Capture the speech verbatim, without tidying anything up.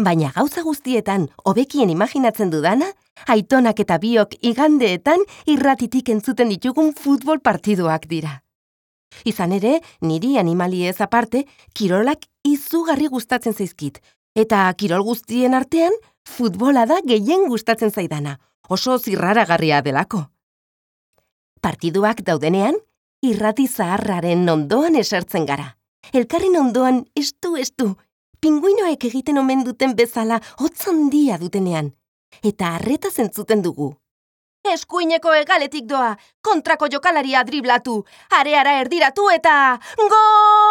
Baina gauza guztietan hobekien imaginatzen dudana, aitonak eta biok igandeetan irratitik entzuten ditugun futbol partiduak dira. Izan ere, niri animaliez aparte, kirolak izugarri gustatzen zaizkit, eta kirol guztien artean, futbola da gehien gustatzen zaidana, oso zirraragarria delako. Partiduak daudenean, irrati zaharraren ondoan esertzen gara. Elkarren ondoan estu-estu, pinguinoek egiten omen duten bezala hotz handia dutenean, eta harretaz entzuten dugu. Eskuineko hegaletik doa, kontrako jokalaria driblatu, areara erdiratu eta... Gol!